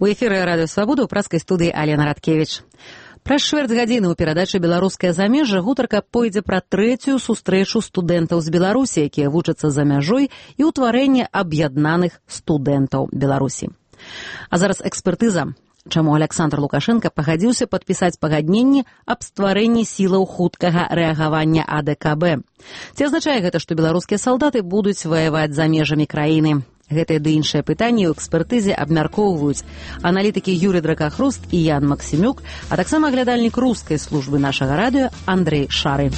У эфіры радыё Свабода ў праскай студыі Алена Радкевіч. Праз чвэрць гадзіны ў перадачы «Беларускае замежжа» гутарка пойдзе пра трэцюю сустрэчу студэнтаў з Беларусі, якія вучацца за мяжой, і ўтварэнне аб'яднаных студэнтаў Беларусі. А зараз экспертыза. Чаму Александр Лукашенко пагадзіўся падпісаць пагадненне аб стварэнні сілаў хуткага рэагавання АДКБ. Ці азначае гэта, што беларускія салдаты будуць ваяваць за межамі краіны? Гэтыя ды іншыя пытанні ў экспертызе абмяркоўваюць аналітыкі Юрий Дракахруст і Ян Максімюк, а таксама глядальнік рускай службы нашага радыё Андрей Шары.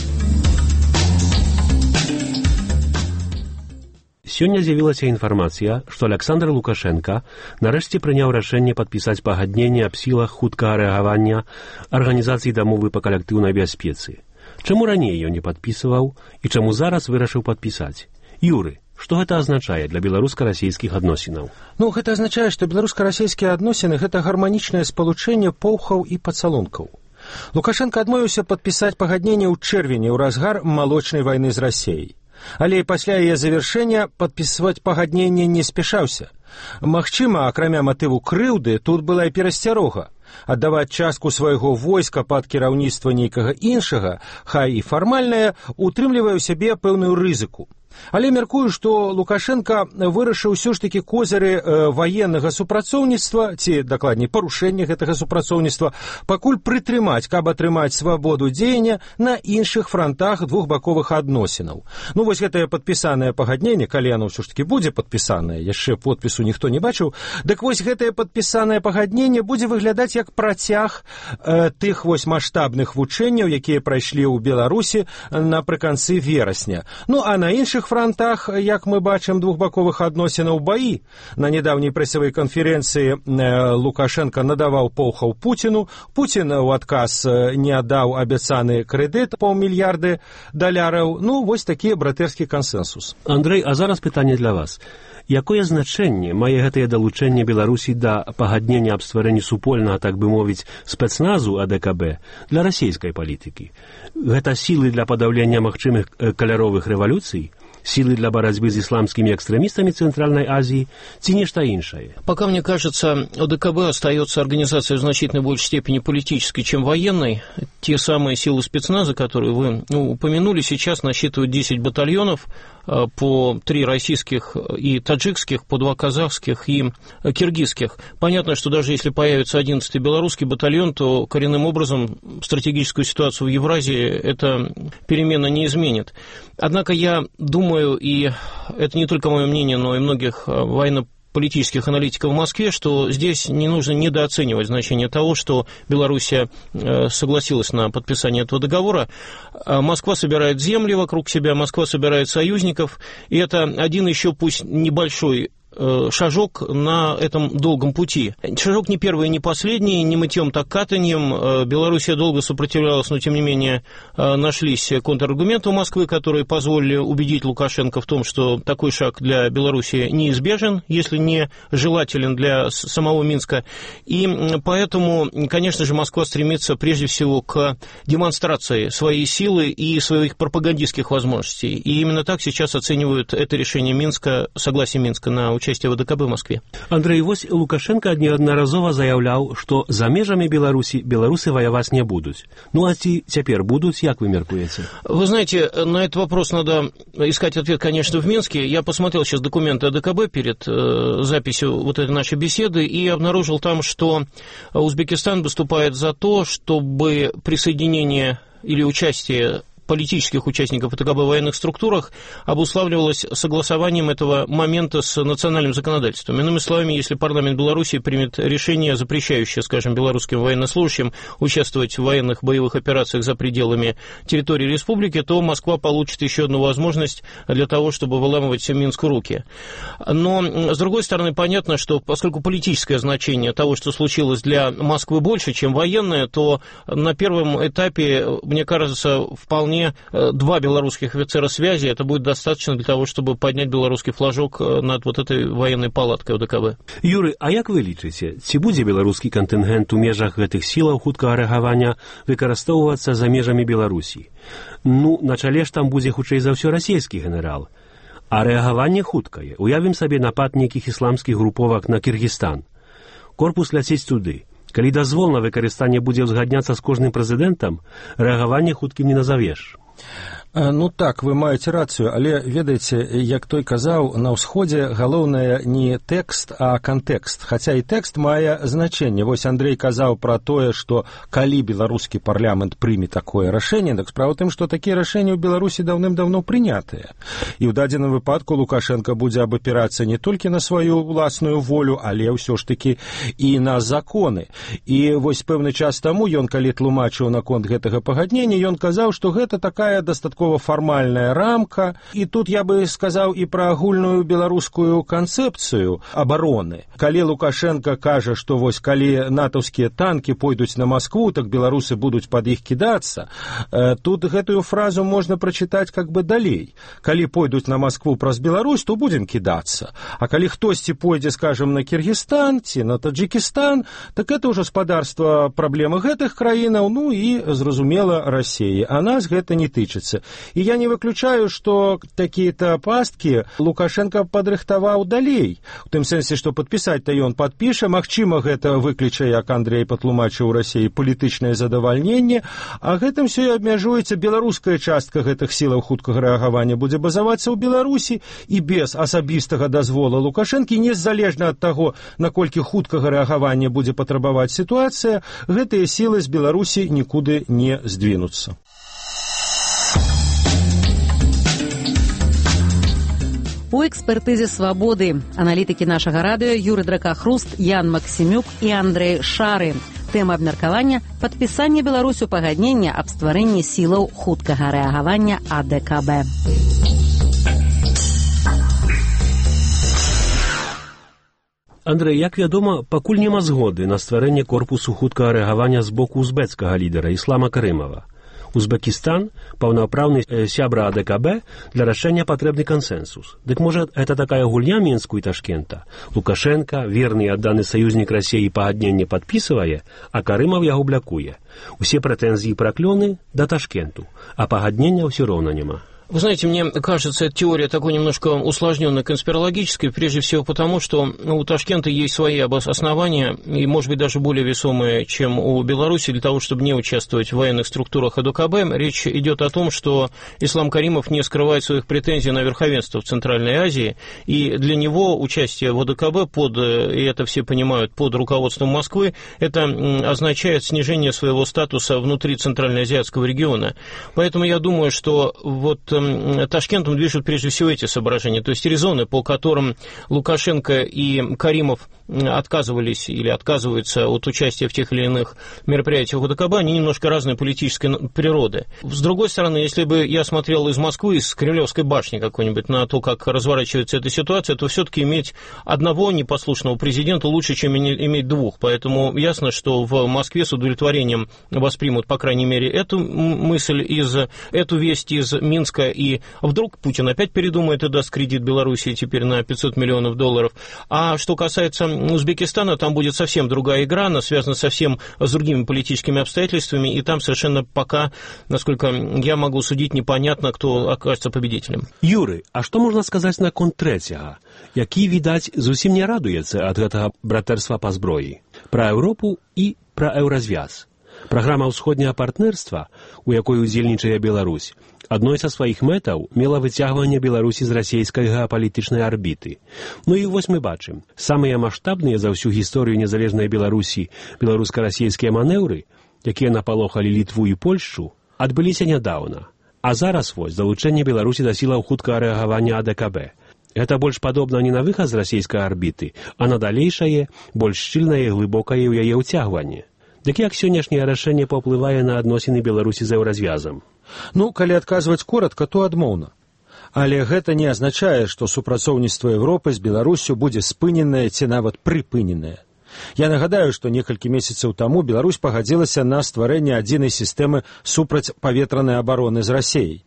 Сёння з'явілася інфармацыя, што Александр Лукашенко нарэшце прыняў рашэнне падпісаць пагадненне аб сілах хуткага рэагавання Арганізацыі дамовы па калектыўнай бяспецы. Чаму раней ён не падпісваў і чаму зараз вырашыў падпісаць? Юры, што гэта азначае для беларуска-расійскіх адносінаў? Гэта азначае, што беларуска-расійскія адносіны – гэта гарманічнае спалучэнне поўхаў і пацалункаў. Лукашенко адмовіўся падпісаць пагадненне ў чэрвені ў разгар малочнай вайны з Расіяй. Але пасля яе завяршэння падпісваць пагадненне не спяшаўся. Магчыма, акрамя матыву крыўды, тут была і перасцярога. Аддаваць частку свайго войска пад кіраўніцтва нейкага іншага, хай і фармальнае, утрымлівае ў сябе пэўную рызыку. Але мяркую, што Лукашенко вырашыў ўсё ж такі козыры ваеннага супрацоўніцтва, ці, дакладней, парушэння гэтага супрацоўніцтва, пакуль прытрымаць, каб атрымаць свабоду дзеяння на іншых франтах двухбаковых адносінаў. Вось гэтае падпісанае пагадненне, калі яно ўсё ж такі будзе падпісанае, яшчэ подпісу ніхто не бачыў, дык вось гэтае падпісанае пагадненне будзе выглядаць як працяг тых вось маштабных вучэнняў, якія прайшлі ў Беларусі напрыканцы верасня. А на іншых фронтах, як мы бачым, двухбаковых адносінаў баі. На нядаўняй прэсавай канферэнцыі Лукашенко надаваў поўхаў Пуціну. Пуцін у адказ не аддаў абяцаны крэдыт $500 мільярдаў. Вось такі братэрскі кансэнсус. Андрэй, а зараз пытанне для вас. Якое значэнне мае гэтае далучэнне Беларусі да пагаднення аб стварэнні супольнага, так бы мовіць, спецназу АДКБ для расійскай палітыкі? Гэта сілы для падаўлення магчымых каляровых рэвалюцый? Силы для борьбы с исламскими экстремистами Центральной Азии, ці нечто иншее? Пока, мне кажется, ОДКБ остается организацией в значительно большей степени политической, чем военной. Те самые силы спецназа, которые вы упомянули, сейчас насчитывают 10 батальонов, по 3 российских и таджикских, по 2 казахских и киргизских. Понятно, что даже если появится 11-й белорусский батальон, то коренным образом стратегическую ситуацию в Евразии эта перемена не изменит. Однако я думаю, и это не только мое мнение, но и многих военно-политических аналитиков в Москве, что здесь не нужно недооценивать значение того, что Белоруссия согласилась на подписание этого договора. Москва собирает земли вокруг себя, Москва собирает союзников, и это один еще пусть небольшой шажок на этом долгом пути. Шажок не первый и не последний, не мытьем, так катаньем. Белоруссия долго сопротивлялась, но тем не менее нашлись контраргументы у Москвы, которые позволили убедить Лукашенко в том, что такой шаг для Белоруссии неизбежен, если не желателен для самого Минска. И поэтому, конечно же, Москва стремится прежде всего к демонстрации своей силы и своих пропагандистских возможностей. И именно так сейчас оценивают это решение Минска, согласие Минска на участие в АДКБ в Москве. Андрей, вось Лукашенко неодноразово заявлял, что за межами Беларуси белорусы воевать не будут. А теперь будут, как вы меркуете? Вы знаете, на этот вопрос надо искать ответ, конечно, в Минске. Я посмотрел сейчас документы АДКБ перед записью вот этой нашей беседы и обнаружил там, что Узбекистан выступает за то, чтобы присоединение или участие политических участников АДКБ в военных структурах обуславливалось согласованием этого момента с национальным законодательством. Иными словами, если парламент Беларуси примет решение, запрещающее, скажем, белорусским военнослужащим участвовать в военных боевых операциях за пределами территории республики, то Москва получит еще одну возможность для того, чтобы выламывать Минску руки. Но, с другой стороны, понятно, что поскольку политическое значение того, что случилось для Москвы больше, чем военное, то на первом этапе, мне кажется, вполне 2 белорусских офицера связи, это будет достаточно для того, чтобы поднять белорусский флажок над вот этой военной палаткой ОДКБ. Юрий, а як вы лічыце, ці будзе беларускі кантынгент у межах гэтых сілаў хуткага рэагавання выкарыстоўвацца за межамі Беларусі? На чале ж там будзе хутчэй за ўсё расійскі генерал. А рэагаванне хуткае. Уявім сабе напад нейкіх ісламскіх груповак на Кіргізстан. корпус ляціць туды. Калі дазвол на выкарыстанне будзе ўзгадняцца з кожным прэзідэнтам, рэагаванне хуткім не назавеш. Ну так, вы маеце рацыю, але ведаеце, як той казаў, на ўсходзе галоўнае не тэкст, а кантэкст. Хаця і тэкст мае значэнне. Вось Андрей казаў пра тое, што калі беларускі парламент прыме такое рашэнне, так справа тым, што такія рашэнні ў Беларусі даўным-даўно прынятыя. І ў дадзеным выпадку Лукашенко будзе абапірацца не толькі на сваю ўласную волю, але ўсё ж такі і на законы. І вось пэўны час таму ён, калі тлумачыў наконт гэтага пагаднення, ён казаў, што гэта такая дастаткова фармальная рамка, і тут я бы сказаў і пра агульную беларускую канцэпцыю абароны. Калі Лукашенко кажа, што вось калі натаўскія танкі пойдуць на Маскву, так беларусы будуць пад іх кідацца, тут гэтую фразу можна прачытаць как бы далей. Калі пойдуць на Маскву праз Беларусь, то будзем кідацца. А калі хтосьці пойдзе, скажем, на Кіргізстан ці на Таджикістан, так это ўжо спадарства праблемы гэтых краінаў, ну і, зразумела, Расіі. А нас гэта не тычыцца. І я не выключаю, што такія-то пасткі Лукашенко падрыхтаваў далей. У тым сэнсе, што падпісаць-то ён падпіша, магчыма, гэта выкліча, як Андрей патлумачыў у Расіі, палітычнае задавальненне, а гэтым все і абмяжуецца. Беларуская частка гэтых сілаў хуткага рэагавання будзе базавацца ў Беларусі, і без асабістага дазвола Лукашэнкі, незалежна ад таго, наколькі хуткага рэагавання будзе патрабаваць сітуацыя, гэтыя сілы з Беларусі нікуды не здвінуцца. У экспертызе «Свабоды» аналітыкі нашага радыё Юрый Дракахруст, Ян Максімюк і Андрей Шары. Тэма абмеркавання – падпісанне Беларусю пагаднення аб стварэнні сілаў хуткага рэагавання АДКБ. Андрэй, як вядома, пакуль няма згоды на стварэнне корпусу хуткага рэагавання з боку узбецкага лідара Іслама Карымова. Узбекистан – паўнапраўны сябра АДКБ, для рашэння патрэбны кансэнсус. Дык можа, гэта такая гульня Мінску і Ташкента? Лукашенко, верны і адданы саюзнік Расіі, пагадненне падпісвае, а Карымаў яго блякуе. Усе прэтэнзіі праклёны да Ташкенту, а пагаднення ўсё роўна няма. Вы знаете, мне кажется, эта теория такой немножко усложненной, конспирологической, прежде всего потому, что у Ташкента есть свои основания, и, может быть, даже более весомые, чем у Беларуси, для того, чтобы не участвовать в военных структурах АДКБ. Речь идет о том, что Ислам Каримов не скрывает своих претензий на верховенство в Центральной Азии, и для него участие в АДКБ, и это все понимают, под руководством Москвы, это означает снижение своего статуса внутри Центральноазиатского региона. Поэтому я думаю, что вот Ташкентом движут прежде всего эти соображения, то есть резоны, по которым Лукашенко и Каримов отказывались или отказываются от участия в тех или иных мероприятиях ОДКБ, они немножко разной политической природы. С другой стороны, если бы я смотрел из Москвы, из Кремлевской башни какой-нибудь на то, как разворачивается эта ситуация, то все-таки иметь одного непослушного президента лучше, чем иметь двух. Поэтому ясно, что в Москве с удовлетворением воспримут, по крайней мере, эту мысль, эту весть из Минска, и вдруг Путин опять передумает и даст кредит Белоруссии теперь на $500 миллионов. А что касается Узбекистана, там будет совсем другая игра, она связана совсем с другими политическими обстоятельствами, и там совершенно пока, насколько я могу судить, непонятно, кто окажется победителем. Юры, а што можна сказаць наконт трэцяга, які, відаць, зусім не радуецца ад гэтага братэрства па зброі? Пра Еўропу і пра еўразвяз. Праграма ўсходняга партнерства, у якой удзельнічае Беларусь, адной са сваіх мэтаў мела выцягванне Беларусі з расійскай геапалітычнай арбіты. Ну і вось мы бачым, самыя маштабныя за ўсю гісторыю незалежнай Беларусі беларуска-расійскія манеўры, якія напалохалі Літву і Польшчу, адбыліся нядаўна. А зараз вось залучэнне Беларусі да сілаў хуткага рэагавання АДКБ. Гэта больш падобна не на выхад з расійскай арбіты, а на далейшае, больш шчыльнае і глыбокае ў яе ўцягванне. Дык як сённяшняе рашэнне паўплывае на адносіны Беларусі з еўразвязам? Ну, калі адказваць коратка, то адмоўна. Але гэта не азначае, што супрацоўніцтва Еўропы з Беларусю будзе спыненае ці нават прыпыненае. Я нагадаю, што некалькі месяцаў таму Беларусь пагадзілася на стварэнне адзінай сістэмы супрацьпаветранай абароны з Расіяй.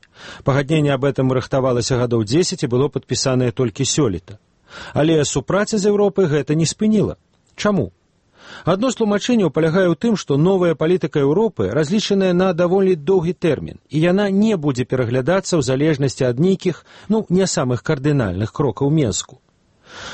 Пагадненне аб этом рыхтавалася гадоў 10 і было падпісанае толькі сёлета. Але супраца з Еўропай гэта не спыніла. Чаму? Адно з тлумачэнняў палягае ў тым, што новая палітыка Еўропы разлічаная на даволі доўгі тэрмін, і яна не будзе пераглядацца ў залежнасці ад нейкіх, не самых кардынальных крокаў Мінску.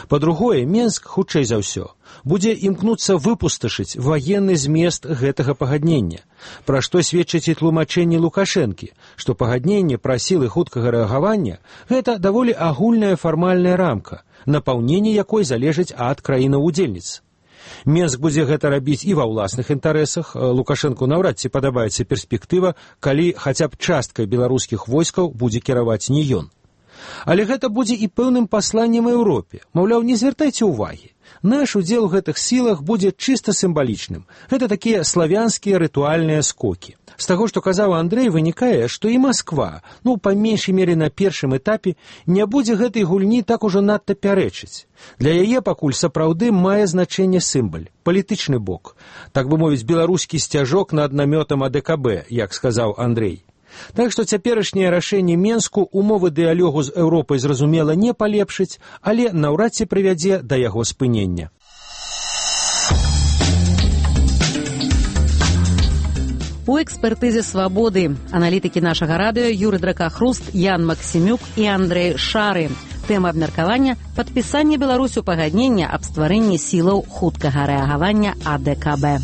Па-другое, Менск, хутчэй за ўсё, будзе імкнуцца выпусташыць ваенны змест гэтага пагаднення, пра што сведчыць і тлумачэнне Лукашэнкі, што пагадненне пра сілы хуткага рэагавання – гэта даволі агульная фармальная рамка, напаўненне якой залежыць ад краінаў-удзельніц. Менск будзе гэта рабіць і ва ўласных інтарэсах. Лукашэнку наўрад ці падабаецца перспектыва, калі хаця б часткай беларускіх войскаў будзе кіраваць не ён. Але гэта будзе і пэўным пасланнем Еўропе. Маўляў, не звяртайце ўвагі. Наш удзел у гэтых сілах будзе чыста сімвалічным. Гэта такія славянскія рытуальныя скокі. З таго, што казаў Андрэй, вынікае, што і Масква, па меншай мере на першым этапе, не будзе гэтай гульні так ужо надта пярэчыць. Для яе пакуль сапраўды мае значэнне сімваль, палітычны бок. Так бы мовіць, беларускі сцяжок над намётам АДКБ, як сказаў Андрэй. Так што цяперашняе рашэнне Менску умовы дыялогу з Еўропай, зразумела, не палепшыць, але наўрад ці прывядзе да яго спынення. У экспертызе «Свабоды» аналітыкі нашага радыё Юрый Дракахруст, Ян Максімюк і Андрэй Шары. Тэма абмеркавання – падпісанне Беларусю пагаднення аб стварэнні сілаў хуткага рэагавання АДКБ.